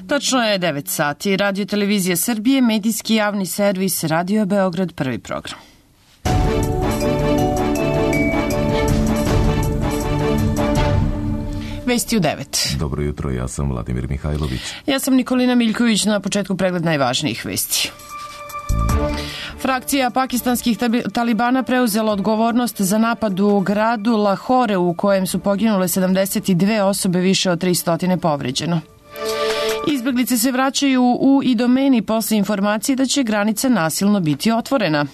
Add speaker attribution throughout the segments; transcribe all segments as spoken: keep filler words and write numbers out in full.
Speaker 1: Točno je devet sati. Radio Televizija Srbije, medijski javni servis Radio Beograd, prvi program. Vesti u devet.
Speaker 2: Dobro jutro, ja sam Vladimir Mihajlović.
Speaker 1: Ja sam Nikolina Miljković, na početku pregled najvažnijih vesti. Frakcija pakistanskih talibana preuzela odgovornost za napad u gradu Lahore u kojem su poginule sedamdeset dve osobe, više od tristo povređeno. Izbeglice se vraćaju u Idomeni posle informacije da će granica nasilno biti otvorena.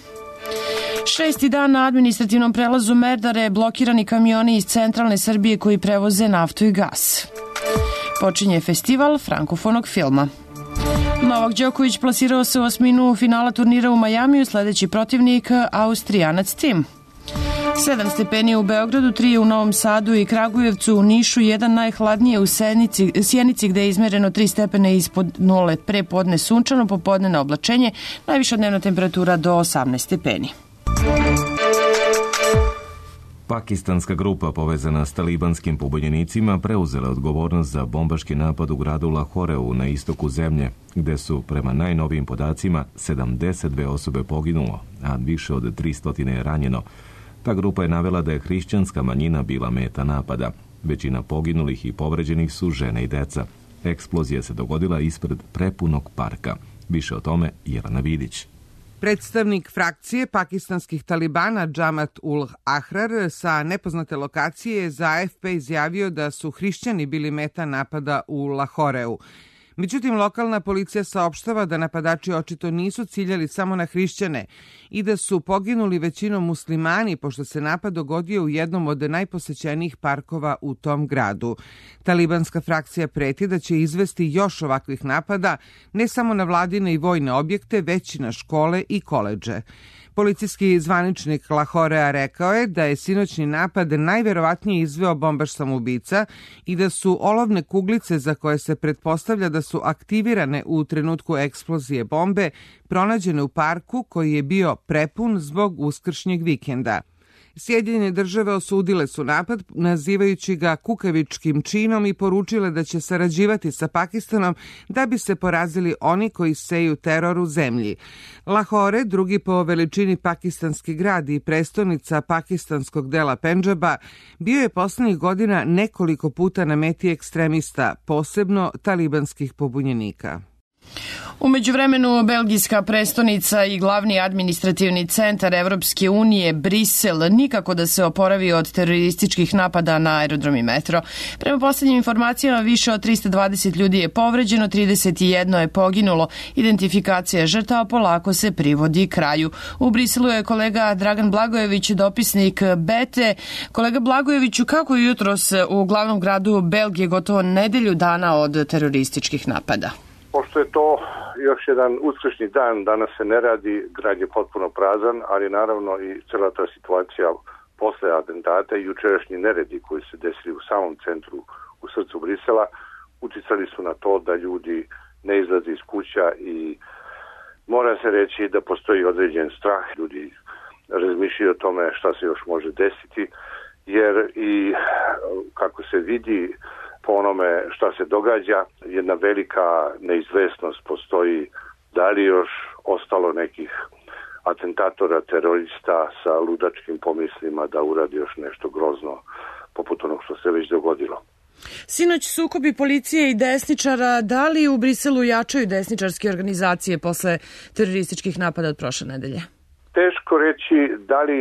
Speaker 1: Šesti dan na administrativnom prelazu Merdare blokirani kamioni iz centralne Srbije koji prevoze naftu i gas. Počinje festival frankofonog filma. Novak Đoković plasirao se u osminu finala turnira u Majamiju, sledeći protivnik Austrijanac Tim. Sedam stepeni u Beogradu, tri u Novom Sadu i Kragujevcu, u Nišu, jedan najhladnije u Sjenici, Sjenici gde je izmereno tri stepene ispod nule, pre podne sunčano, popodne na oblačenje, najviša dnevna temperatura do osamnaest stepeni.
Speaker 2: Pakistanska grupa povezana s talibanskim pobunjenicima preuzela odgovornost za bombaški napad u gradu Lahoreu na istoku zemlje, gde su, prema najnovijim podacima, sedamdeset dve osobe poginulo, a više od tristo je ranjeno. Ta grupa je navela da je hrišćanska manjina bila meta napada. Većina poginulih i povređenih su žene i deca. Eksplozija se dogodila ispred prepunog parka. Više o tome Jelena Vidić.
Speaker 3: Predstavnik frakcije pakistanskih talibana Džamat ul Ahrar sa nepoznate lokacije je za A F P izjavio da su hrišćani bili meta napada u Lahoreu. Međutim, lokalna policija saopštava da napadači očito nisu ciljali samo na hrišćane i da su poginuli većinom muslimani, pošto se napad dogodio u jednom od najposećenijih parkova u tom gradu. Talibanska frakcija preti da će izvesti još ovakvih napada, ne samo na vladine i vojne objekte, već i na škole i koledže. Policijski zvaničnik Lahorea rekao je da je sinoćni napad najverovatnije izveo bombaš samoubica i da su olovne kuglice za koje se pretpostavlja da su aktivirane u trenutku eksplozije bombe pronađene u parku koji je bio prepun zbog uskršnjeg vikenda. Sjedinjene države osudile su napad, nazivajući ga kukavičkim činom i poručile da će sarađivati sa Pakistanom da bi se porazili oni koji seju teror u zemlji. Lahore, drugi po veličini pakistanski grad i prestonica pakistanskog dela Pendžaba, bio je poslednjih godina nekoliko puta na meti ekstremista, posebno talibanskih pobunjenika.
Speaker 1: U međuvremenu, belgijska prestonica i glavni administrativni centar Evropske unije, Brisel, nikako da se oporavi od terorističkih napada na aerodrom i metro. Prema poslednjim informacijama, više od tristo dvadeset ljudi je povređeno, trideset jedan je poginulo. Identifikacija žrtava polako se privodi kraju. U Briselu je kolega Dragan Blagojević, dopisnik Bete. Kolega Blagojeviću, kako je jutros u glavnom gradu Belgije gotovo nedelju dana od terorističkih napada?
Speaker 4: Pošto je to još jedan uskršnji dan, danas se ne radi, grad je potpuno prazan, ali naravno i cela ta situacija posle atentata i jučerašnji neredi koji se desili u samom centru, u srcu Brisela, uticali su na to da ljudi ne izlaze iz kuća i mora se reći da postoji određen strah. Ljudi razmišljaju o tome šta se još može desiti, jer i kako se vidi po onome šta se događa, jedna velika neizvesnost postoji da li još ostalo nekih atentatora, terorista sa ludačkim pomislima da uradi još nešto grozno poput onog što se već dogodilo.
Speaker 1: Sinoć sukobi policije i desničara, da li u Briselu jačaju desničarske organizacije posle terorističkih napada od prošle nedelje?
Speaker 4: Teško reći da li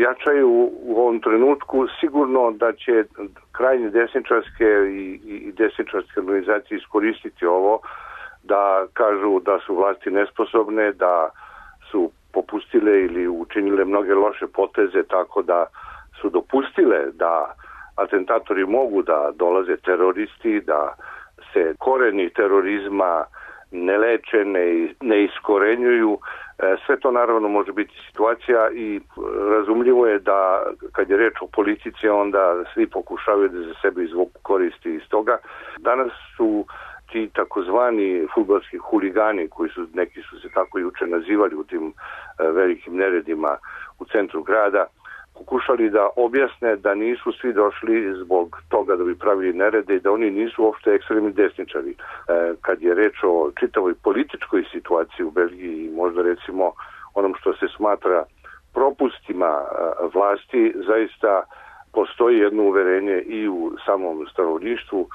Speaker 4: jačaju u ovom trenutku. Sigurno da će krajnje desničarske i, i desničarske organizacije iskoristiti ovo da kažu da su vlasti nesposobne, da su popustile ili učinile mnoge loše poteze tako da su dopustile da atentatori mogu da dolaze teroristi, da se koreni terorizma ne leče, ne, ne iskorenjuju. Sve to naravno može biti situacija i razumljivo je da kad je reč o politici onda svi pokušavaju da za sebe izvuku koristi iz toga. Danas su ti takozvani fudbalski huligani, koji su, neki su se tako juče nazivali u tim velikim neredima u centru grada, pokušali da objasne da nisu svi došli zbog toga da bi pravili nerede i da oni nisu uopšte ekstremni desničari. Kad je reč o čitavoj političkoj situaciji u Belgiji i možda recimo onom što se smatra propustima vlasti, zaista postoji jedno uverenje i u samom stanovništvu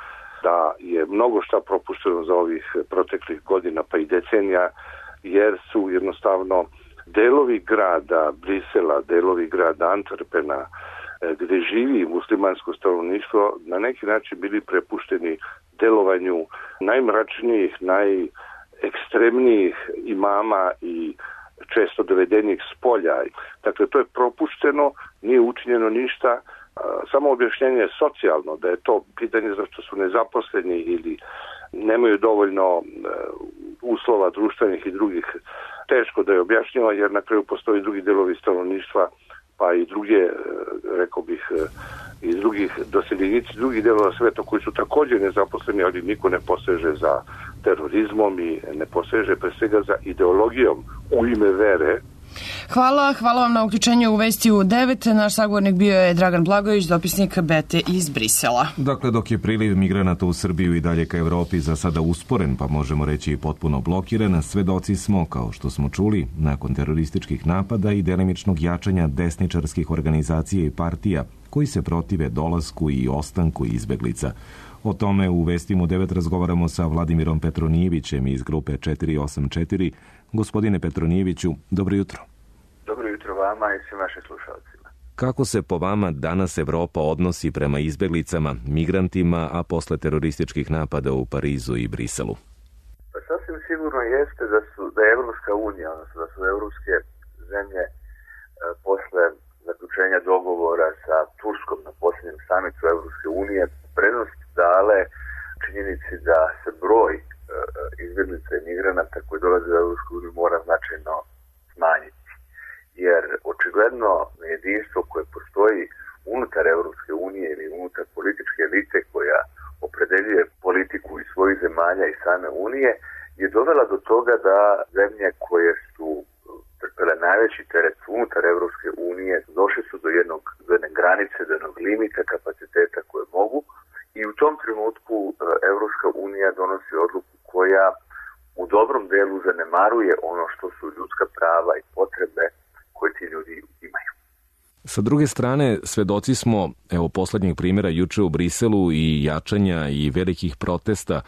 Speaker 4: da je mnogo šta propušteno za ovih proteklih godina pa i decenija, jer su jednostavno delovi grada Brisela, delovi grada Antwerpena, gde živi muslimansko stanovništvo, na neki način bili prepušteni delovanju najmračnijih, najekstremnijih imama i često dovedenih s polja. Dakle, to je propušteno, nije učinjeno ništa, samo objašnjenje je socijalno, da je to pitanje zašto su nezaposleni ili nemaju dovoljno uslova društvenih i drugih, teško da je objašnjava, jer na kraju postoji drugi delovi stanovništva, pa i druge, rekao bih, iz drugih doseljenici, drugih delova sveta koji su također nezaposleni, ali niko ne poseže za terorizmom i ne poseže pre svega za ideologijom u ime vere.
Speaker 1: Hvala, hvala vam na uključenju u Vesti u devet. Naš sagovornik bio je Dragan Blagojević, dopisnik Bete iz Brisela.
Speaker 2: Dakle, dok je priliv migranata u Srbiju i dalje ka Evropi za sada usporen, pa možemo reći i potpuno blokiran, svedoci smo, kao što smo čuli, nakon terorističkih napada i delimičnog jačanja desničarskih organizacija i partija koji se protive dolasku i ostanku izbeglica. O tome u Vestima u devet razgovaramo sa Vladimirom Petronijevićem iz grupe četiri osam četiri. Gospodine Petronijeviću, dobro jutro.
Speaker 5: Dobro jutro vama i svim vašim slušalcima.
Speaker 2: Kako se po vama danas Evropa odnosi prema izbeglicama, migrantima, a posle terorističkih napada u Parizu i Briselu?
Speaker 5: Pa sasvim sigurno jeste da su da je Evropska unija, odnosno da su evropske zemlje e, posle zaključenja dogovora sa Turskom na posljednjem samitu Evropske unije prednost dale činjenici da se broj e, izbjeglica i migranata koji dolaze u Evropsku uniju mora značajno smanjiti. Jer očigledno nejedinstvo koje postoji unutar Evropske unije ili unutar političke elite koja opredeljuje politiku i svojih zemalja i same unije je dovela do toga da zemlje koje su trpele najveći teret unutar Evropske unije došli su do jednog do jedne granice, do jednog limita kapaciteta koje mogu i u tom trenutku Evropska unija donosi odluku koja u dobrom delu zanemaruje ono što su ljudska prava i potrebe koje ti ljudi imaju.
Speaker 2: Sa druge strane, svedoci smo, evo, poslednjeg primjera juče u Briselu i jačanja i velikih protesta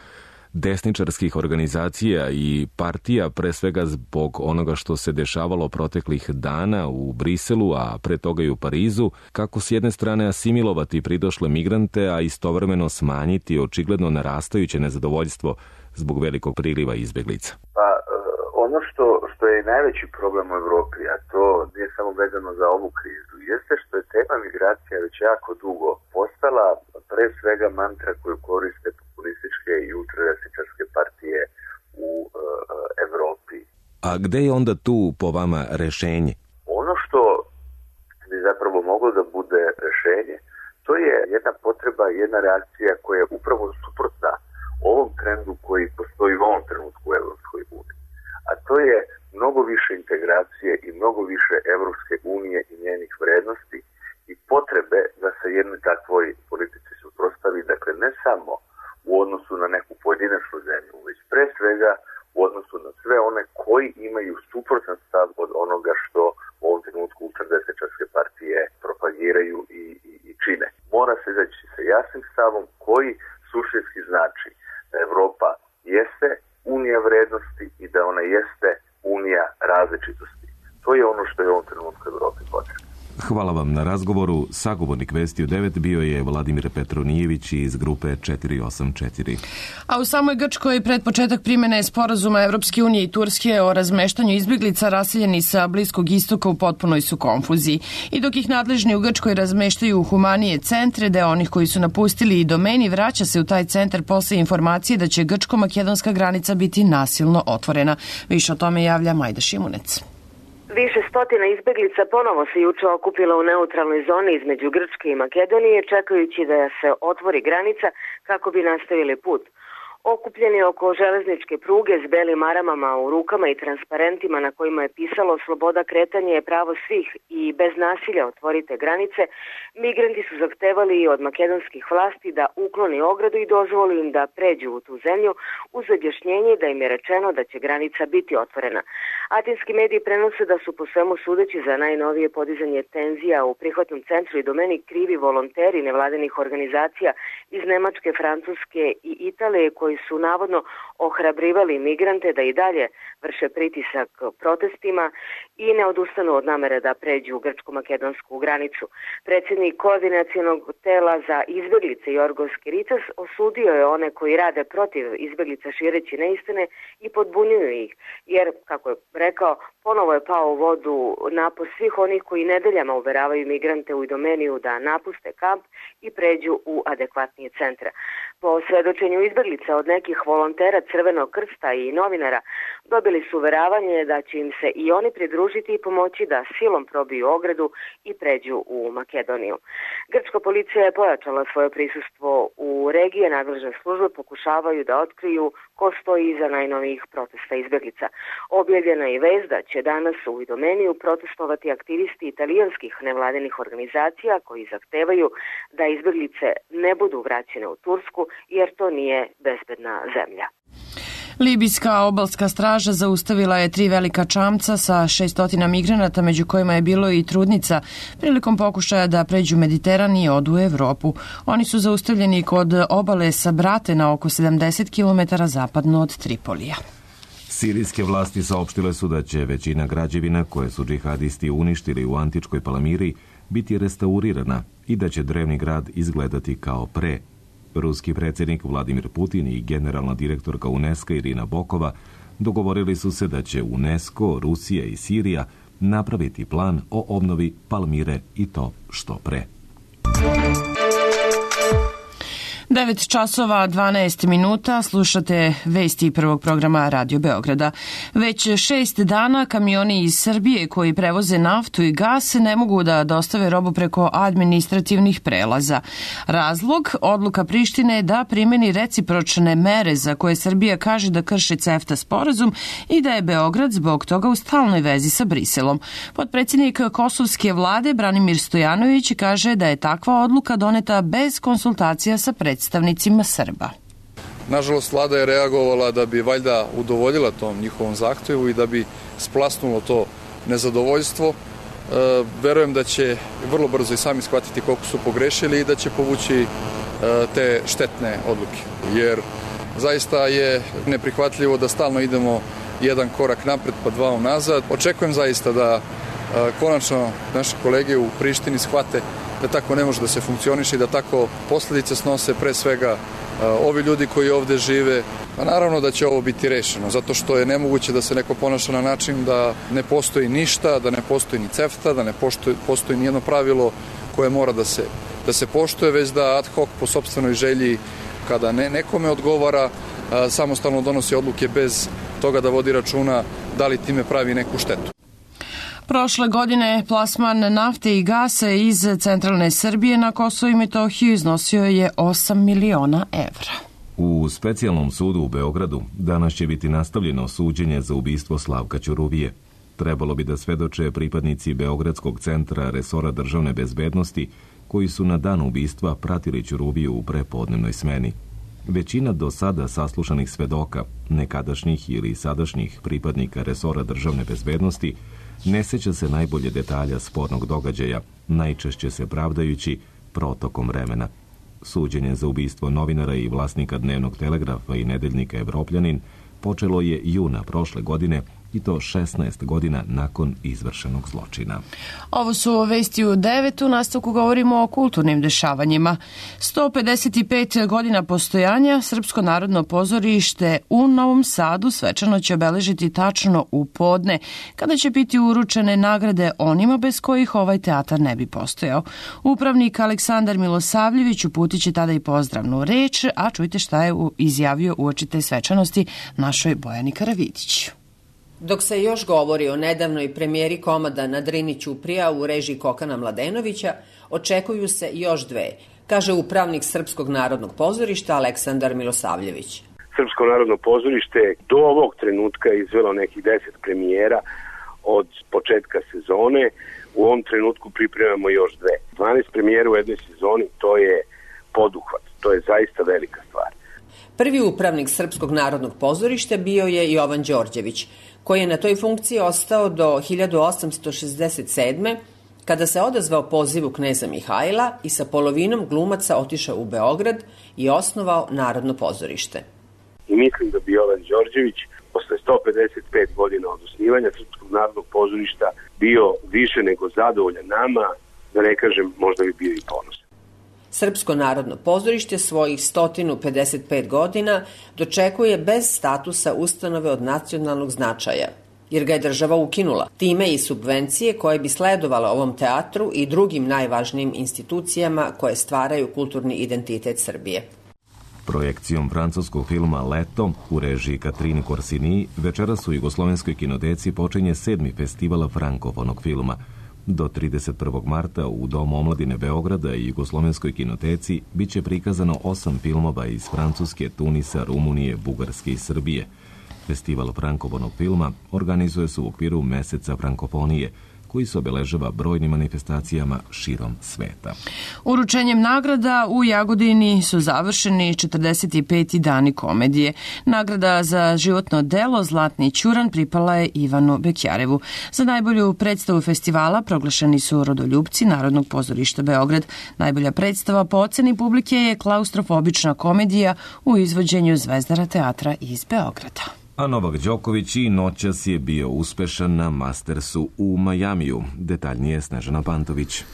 Speaker 2: desničarskih organizacija i partija, pre svega zbog onoga što se dešavalo proteklih dana u Briselu, a pre toga i u Parizu, kako s jedne strane asimilovati pridošle migrante, a istovremeno smanjiti očigledno narastajuće nezadovoljstvo zbog velikog priliva izbeglica?
Speaker 5: Pa, ono što, što je najveći problem u Evropi, a to nije samo vezano za ovu krizu, jeste što je tema migracija već jako dugo postala pre svega mantra koju koriste populističke i ultradesničarske partije u uh, Evropi.
Speaker 2: A gde je onda tu po vama rešenje?
Speaker 5: Ono što bi zapravo moglo da bude rešenje, to je jedna potreba, jedna reakcija koja je upravo suprotna ovom trendu koji postoji u ovom trenutku u Evropskoj uniji. A to je mnogo više integracije i mnogo više Evropske unije i njenih vrednosti i potrebe da se jednoj takvoj politici suprotstavi, dakle ne samo u odnosu na neku pojedinačnu zemlju, već pre svega u odnosu na sve one koji imaju suprotan stav od onoga što u ovom trenutku ultradesničarske partije propagiraju i, i, i čine. Mora se izaći sa jasnim stavom koji suštinski znači da Evropa jeste unija vrednosti i da ona jeste unija različitosti. To je ono što je u ovom trenutku Evropi potrebno.
Speaker 2: Hvala vam na razgovoru. Sagovornik Vesti u devet bio je Vladimir Petronijević iz grupe četiri osam četiri.
Speaker 1: A u samoj Grčkoj pred početak primjene sporazuma Evropske unije i Turske o razmeštanju izbjeglica raseljeni sa Bliskog istoka u potpunoj su konfuziji. I dok ih nadležni u Grčkoj razmeštaju u humanije centre, deo onih koji su napustili i domeni vraća se u taj centar posle informacije da će grčko-makedonska granica biti nasilno otvorena. Više o tome javlja Majda Šimunec.
Speaker 6: Više stotina izbeglica ponovo se juče okupila u neutralnoj zoni između Grčke i Makedonije, čekajući da se otvori granica kako bi nastavili put. okupljeni oko železničke pruge s belim maramama u rukama i transparentima na kojima je pisalo sloboda kretanja je pravo svih i bez nasilja otvorite granice, migranti su zahtevali od makedonskih vlasti da ukloni ogradu i dozvoli im da pređu u tu zemlju uz objašnjenje da im je rečeno da će granica biti otvorena. Atinski mediji prenose da su po svemu sudeći za najnovije podizanje tenzija u prihvatnom centru i domeni krivi volonteri nevladinih organizacija iz Nemačke, Francuske i Italije koji su navodno ohrabrivali migrante da i dalje vrše pritisak protestima i ne odustanu od namere da pređu grčko-makedonsku granicu. Predsjednik koordinacionog tela za izbjeglice Jorgos Kiritas osudio je one koji rade protiv izbjeglica šireći neistine i podbunjuju ih, jer, kako je rekao, ponovo je pao u vodu napor svih onih koji nedeljama uveravaju migrante u Idomeniju da napuste kamp i pređu u adekvatnije centre. Po svedočenju izbjeglica od nekih volontera Crvenog krsta i novinara dobili su uveravanje da će im se i oni pridružiti i pomoći da silom probiju ogradu i pređu u Makedoniju. Grčka policija je pojačala svoje prisustvo u regiji, nadležne službe pokušavaju da otkriju ko stoji iza najnovijih protesta izbjeglica. Objavljena je vez da će danas u Idomeniju protestovati aktivisti italijanskih nevladinih organizacija koji zahtevaju da izbjeglice ne budu vraćene u Tursku jer to nije bezbedna zemlja.
Speaker 1: Libijska obalska straža zaustavila je tri velika čamca sa šesstotina migranata, među kojima je bilo i trudnica, prilikom pokušaja da pređu Mediteran i odu u Evropu. Oni su zaustavljeni kod obale Sabrate na oko sedamdeset kilometara zapadno od Tripolija.
Speaker 2: Sirijske vlasti saopštile su da će većina građevina koje su džihadisti uništili u antičkoj Palamiri biti restaurirana i da će drevni grad izgledati kao pre. Ruski predsjednik Vladimir Putin i generalna direktorka UNESCO Irina Bokova dogovorili su se da će UNESCO, Rusija i Sirija napraviti plan o obnovi Palmire i to što pre.
Speaker 1: devet časova dvanaest minuta, slušate vesti prvog programa Radio Beograda. Već šest dana kamioni iz Srbije koji prevoze naftu i gas ne mogu da dostave robu preko administrativnih prelaza. Razlog, odluka Prištine da primeni recipročne mere za koje Srbija kaže da krši CEFTA sporazum i da je Beograd zbog toga u stalnoj vezi sa Briselom. Potpredsjednik kosovske vlade Branimir Stojanović kaže da je takva odluka doneta bez konsultacija sa predstavnicima predstavnicima Srba.
Speaker 7: Nažalost, vlada je reagovala da bi valjda udovoljila tom njihovom zahtjevu i da bi splasnulo to nezadovoljstvo. E, verujem da će vrlo brzo i sami shvatiti koliko su pogrešili i da će povući e, te štetne odluke. Jer zaista je neprihvatljivo da stalno idemo jedan korak napred pa dva unazad. Očekujem zaista da e, konačno naše kolege u Prištini shvate da tako ne može da se funkcioniše i da tako posljedice snose pre svega uh, ovi ljudi koji ovde žive. A naravno da će ovo biti rešeno, zato što je nemoguće da se neko ponaša na način da ne postoji ništa, da ne postoji ni CEFTA, da ne postoji, postoji nijedno pravilo koje mora da se, da se poštuje, već da ad hoc po sopstvenoj želji, kada ne, nekome odgovara, uh, samostalno donosi odluke bez toga da vodi računa da li time pravi neku štetu.
Speaker 1: Prošle godine plasman nafte i gasa iz centralne Srbije na Kosovo i Metohiju iznosio je osam miliona evra.
Speaker 2: U specijalnom sudu u Beogradu danas će biti nastavljeno suđenje za ubistvo Slavka Ćuruvije. Trebalo bi da svedoče pripadnici Beogradskog centra resora državne bezbednosti koji su na dan ubistva pratili Ćuruviju u prepodnevnoj smeni. Većina do sada saslušanih svedoka, nekadašnjih ili sadašnjih pripadnika resora državne bezbednosti, ne seća se najbolje detalja spornog događaja, najčešće se pravdajući protokom vremena. Suđenje za ubistvo novinara i vlasnika Dnevnog telegrafa i nedeljnika Evropljanin počelo je juna prošle godine i to šesnaest godina nakon izvršenog zločina.
Speaker 1: Ovo su vesti u devet. U nastavku govorimo o kulturnim dešavanjima. sto pedeset pet godina postojanja Srpsko narodno pozorište u Novom Sadu svečano će obeležiti tačno u podne, kada će biti uručene nagrade onima bez kojih ovaj teatar ne bi postojao. Upravnik Aleksandar Milosavljević uputit će tada i pozdravnu reč, a čujte šta je izjavio uoči te svečanosti našoj Bojani Karavidić.
Speaker 8: Dok se još govori o nedavnoj premijeri komada na Drini Ćuprija u režiji Kokana Mladenovića, očekuju se još dve, kaže upravnik Srpskog narodnog pozorišta Aleksandar Milosavljević.
Speaker 9: Srpsko narodno pozorište do ovog trenutka izvelo nekih deset premijera od početka sezone. U ovom trenutku pripremamo još dve. dvanaest premijera u jednoj sezoni, to je poduhvat, to je zaista velika stvar.
Speaker 8: Prvi upravnik Srpskog narodnog pozorišta bio je Jovan Đorđević, koji je na toj funkciji ostao do hiljadu osamsto šezdeset sedme. kada se odazvao pozivu kneza Mihajla i sa polovinom glumaca otišao u Beograd i osnovao Narodno pozorište.
Speaker 9: I mislim da bi Jovan Đorđević posle sto pedeset pet godina od osnivanja Srpskog narodnog pozorišta bio više nego zadovoljan nama, da ne kažem možda bi bio i ponosan.
Speaker 8: Srpsko narodno pozorište svojih sto pedeset pet godina dočekuje bez statusa ustanove od nacionalnog značaja, jer ga je država ukinula. Time i subvencije koje bi sledovale ovom teatru i drugim najvažnijim institucijama koje stvaraju kulturni identitet Srbije.
Speaker 2: Projekcijom francuskog filma Leto u režiji Katrini Korsini večeras u Jugoslovenskoj kinoteci počinje sedmi festival frankofonog filma. Do trideset prvog marta u Domu omladine Beograda i Jugoslovenskoj kinoteci biće prikazano osam filmova iz Francuske, Tunisa, Rumunije, Bugarske i Srbije. Festival frankofonog filma organizuje se u okviru Meseca frankofonije, koji se obeležava brojnim manifestacijama širom sveta.
Speaker 1: Uručenjem nagrada u Jagodini su završeni četrdeset peti dani komedije. Nagrada za životno delo Zlatni ćuran pripala je Ivanu Bekjarevu. Za najbolju predstavu festivala proglašeni su Rodoljupci Narodnog pozorišta Beograd. Najbolja predstava po oceni publike je klaustrofobična komedija u izvođenju Zvezdara teatra iz Beograda.
Speaker 2: A Novak Đoković i noćas je bio uspešan na Mastersu u Majamiju. Detaljnije Snežana Pantović.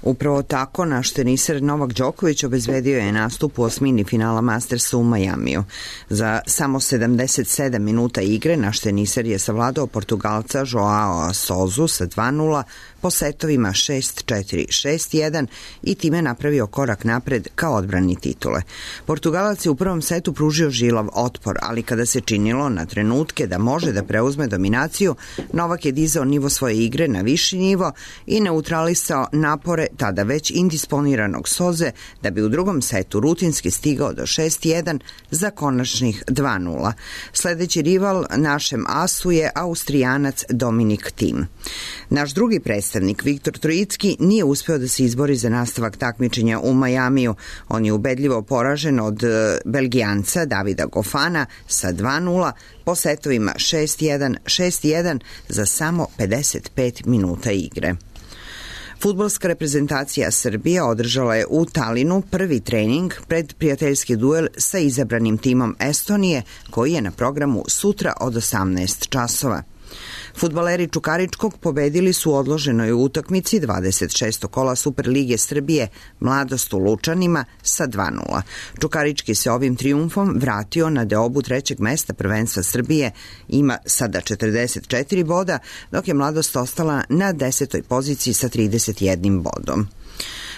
Speaker 10: Upravo tako, naš teniser Novak Đoković obezbedio je nastup u osmini finala Mastersa u Majamiju. Za samo sedamdeset sedam minuta igre naš teniser je savladao Portugalca Joao Sousu sa dva nula po setovima šest četiri, šest jedan i time napravio korak napred ka odbrani titule. Portugalac je u prvom setu pružio žilav otpor, ali kada se činilo na trenutke da može da preuzme dominaciju, Novak je dizao nivo svoje igre na viši nivo i neutralisao napore tada već indisponiranog Soze da bi u drugom setu rutinski stigao do šest jedan za konačnih dva nula. Sledeći rival našem asu je Austrijanac Dominik Thiem. Naš drugi predstavnik Viktor Trojicki nije uspeo da se izbori za nastavak takmičenja u Majamiju. On je ubedljivo poražen od Belgijanca Davida Gofana sa dva nula po setovima šest jedan, šest jedan za samo pedeset pet minuta igre. Fudbalska reprezentacija Srbije održala je u Talinu prvi trening pred prijateljski duel sa izabranim timom Estonije, koji je na programu sutra od osamnaest časova. Fudbaleri Čukaričkog pobedili su u odloženoj utakmici dvadeset šestog kola Superlige Srbije Mladost u Lučanima sa dva nula. Čukarički se ovim trijumfom vratio na deobu trećeg mesta prvenstva Srbije, ima sada četrdeset četiri boda, dok je Mladost ostala na desetoj poziciji sa trideset jednim bodom.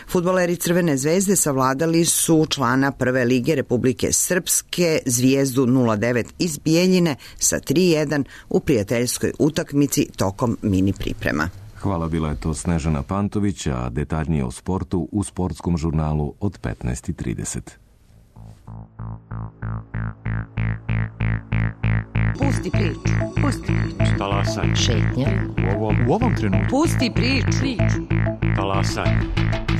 Speaker 10: Fudbaleri Crvene zvezde savladali su člana Prve lige Republike Srpske Zvijezdu nula devet iz Bijeljine sa tri jedan u prijateljskoj utakmici tokom mini priprema.
Speaker 2: Hvala, bila je to Snežana Pantović, a detaljnije o sportu u sportskom žurnalu od petnaest i trideset.
Speaker 11: Pusti priču, pusti priču.
Speaker 12: Talasaj.
Speaker 11: Šetnja.
Speaker 12: U ovom, u ovom trenutku.
Speaker 11: Pusti priču. priču.
Speaker 12: Talasaj.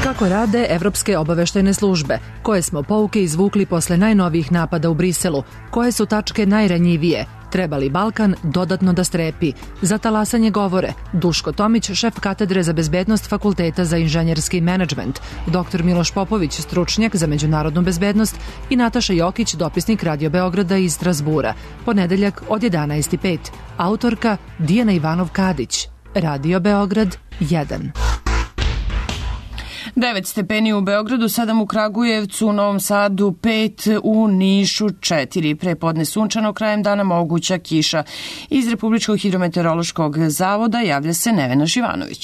Speaker 13: Kako rade evropske obaveštajne službe? Koje smo pouke izvukli posle najnovijih napada u Briselu? Koje su tačke najranjivije? Treba li Balkan dodatno da strepi? Za talasanje govore Duško Tomić, šef katedre za bezbednost Fakulteta za inženjerski menadžment, doktor Miloš Popović, stručnjak za međunarodnu bezbednost i Nataša Jokić, dopisnik Radio Beograda iz Strasbura. Ponedeljak od jedanaest i pet. Autorka Dijana Ivanov-Kadić. Radio Beograd jedan.
Speaker 1: devet stepeni u Beogradu, sedam u Kragujevcu, u Novom Sadu pet, u Nišu četiri. Prepodne sunčano, krajem dana moguća kiša. Iz Republičkog hidrometeorološkog zavoda javlja se Nevena Živanović.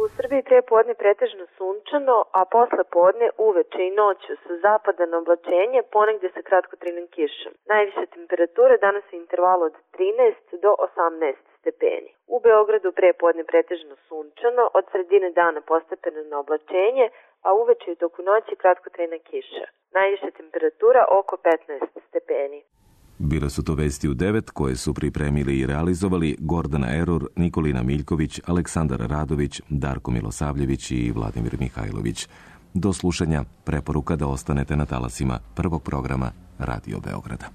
Speaker 14: U Srbiji prepodne pretežno sunčano, a posle podne uveče i noću sa zapada na oblačenje, ponegde sa kratkotrajnom kišom. Najviše temperature danas u intervalu od trinaest do osamnaest stepeni. U Beogradu prepodne pretežno sunčano, od sredine dana postepeno na oblačenje, a uveče i toku noći kratkotrajna kiša. Najviša temperatura oko petnaest stepeni.
Speaker 2: Bile su to vesti u devet koje su pripremili i realizovali Gordana Erur, Nikolina Miljković, Aleksandar Radović, Darko Milosavljević i Vladimir Mihajlović. Do slušanja, preporuka da ostanete na talasima prvog programa Radio Beograda.